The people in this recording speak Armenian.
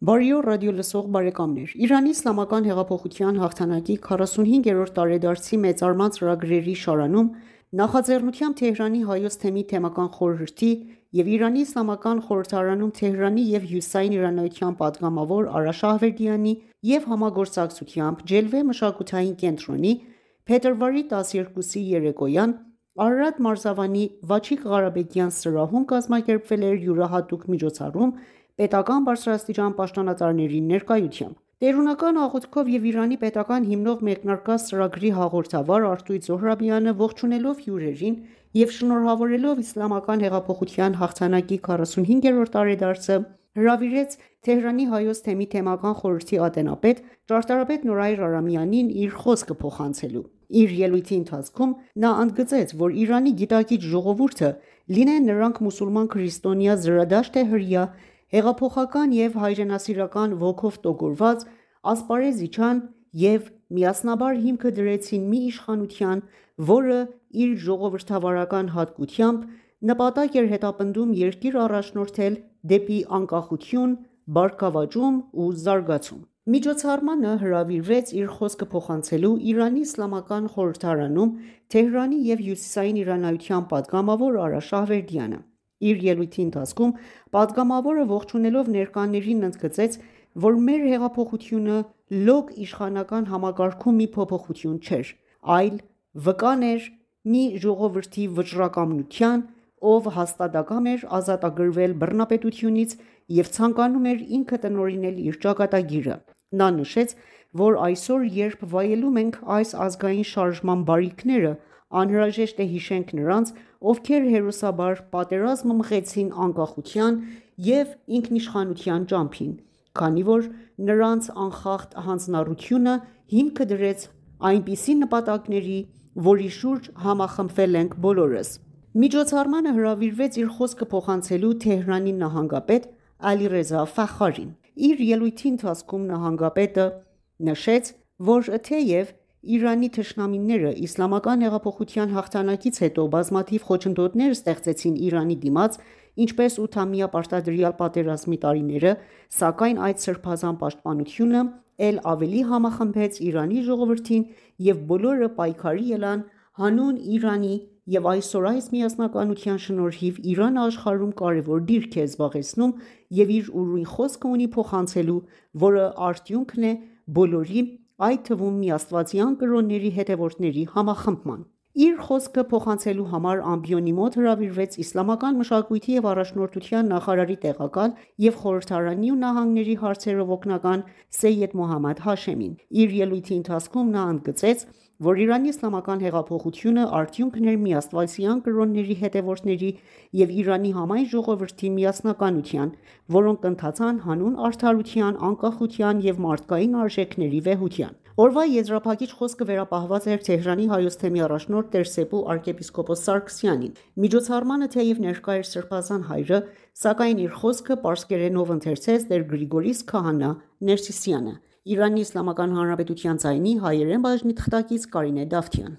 Բարի օր ռադիոլսող բարեկամներ: Իրանի իսլամական հեղափոխության հաղթանակի 45-րդ տարեդարձի մեծարման ծրագրերի շարանում նախաձեռնությամբ Թեհրանի Հայոց թեմի թեմական խորհրդի և Իրանի իսլամական խորհրդարանում Թեհրանի և հյուսիսային իրանայության պատգամավոր Արա Շահվերդյանի և համագործակցությամբ Ջելվե մշակութային կենտրոնի փետրվարի 12-ի երեկոյան Արարատ Մարզավանի Վաչիկ Ղարաբեգյան սրահում կազմակերպվել էր յուրահատուկ միջոցառում պետական բարձրաստիճան պաշտոնատարների ներկայությամբ: Տերունական աղոթքով և Իրանի պետական հիմնող մեկնարկած ծրագրի հաղորդավար Արտույտ Զոհրաբյանը ողջունելով հյուրերին և շնորհավորելով Իսլամական հեղափոխության հաղթանակի 45-րդ տարեդարձը հրավիրեց Թեհրանի Հայոց թեմի թեմական խորհրդի ատենապետ ճարտարապետ Նորայր Արամյանին իր խոսքը փոխանցելու: Իր ելույթի ընթացքում նա ընդգծեց, որ Իրանի գիտակից ժողովուրդը, լինեն նրանք մուսուլման, քրիստոնյա, զրադաշտ թե հրեա, հեղափոխական և հայրենասիրական ոգով տոգորված, ասպարեզ իջան և միասնաբար հիմքը դրեցին մի իշխանության, որը իր ժողովրդավարական հատկությամբ նպատակ էր հետապնդում երկիր առաջնորդել դեպի անկախություն, բարգավաճում ու զարգացում: Միջոցառմանը հրավիրվեց իր խոսքը փոխանցելու Իրանի իսլամական խորհրդարանում Թեհրանի և հյուսիսային իրանայության պատգամավոր Արա Շահվերդյանը: Իր ելույթի ընթացքում պատգամավորը ողջունելով ներկաներին ընդգծեց, որ մեր հեղափոխությունը լոկ իշխանական համակարգում մի փոփոխություն չէր, այլ վկան էր մի ժողովրդի վճռակամության, ով հաստատակամ էր ազատագրվել բռնապետությունից և ցանկանում էր ինքը տնօրինել իր ճակատագիրը: Նա նշեց, որ այսօր երբ վայելում ենք այս ազգային շարժման բարիքները, անհրաժեշտ է հիշենք նրանց, ովքեր հերոսաբար պատերազմ մղեցին անկախության և ինքնիշխանության ճամփին, քանի որ նրանց անխախտ հանձնառությունը հիմքը դրեց այնպիսի նպատակների, որի շուրջ համախմբվել ենք բոլորս: Միջոցառմանը հրավիրվեց իր խոսքը փոխանցելու Թեհրանի նահանգապետ Ալիռեզա Ֆախարին: Իր ելույթի ընթացքում նահանգապետը նշեց, որ թեև Իրանի թշնամիները իսլամական հեղափոխության հաղթանակից հետո բազմաթիվ խոչընդոտներ ստեղծեցին Իրանի դիմաց, ինչպես ութամյա պարտադրյալ պատերազմի տարիները, սակայն այդ սրբազան պաշտպանությունը էլ ավելի համախմբեց Իրանի ժողովրդին և բոլորը պայքարի ելան հանուն Իրանի և այսօր այս միասնականության շնորհիվ Իրանը աշխարհում կարևոր դիրք է զբաղեցնում և իր ուրույն խոսքը ունի փոխանցելու, որը արդյունքն է բոլորի, այդ թվում միաստվածյան կրոնների հետևորդների համախմբման: Իր խոսքը փոխանցելու համար ամբիոնի մոտ հրավիրվեց իսլամական մշակույթի և առաջնորդության նախարարի տեղակալ և խորհրդարանի ու նահանգների հարցերով օգնական Սեյեդ Մոհամմադ Հաշեմին: Իր ելույթի ընթացքում նա ընդգծեց, որ Իրանի իսլամական հեղափոխությունը արդյունքն էր միաստվածյան կրոնների հետևորդների և Իրանի համայն ժողովրդի միասնականության, որոնք ընթացան հանուն արդարության, անկախության և մարդկային արժեքների վեհության: Օրվա եզրափակիչ խոսքը վերապահված էր Թեհրանի Հայոց թեմի առաջնորդ տերսեպու arczepiskopos Սարգսյանին: Միջոցառմանը թեև ներկա էր սրբազան հայրը, սակայն իր խոսքը պարսկերենով ընթերցեց տեր Գրիգորիս Քահանա Ներսիսյանը: Իրանի Իսլամական Հանրապետության ձայնի հայերեն բաժնի թղթակից Կարինե Դավթյան: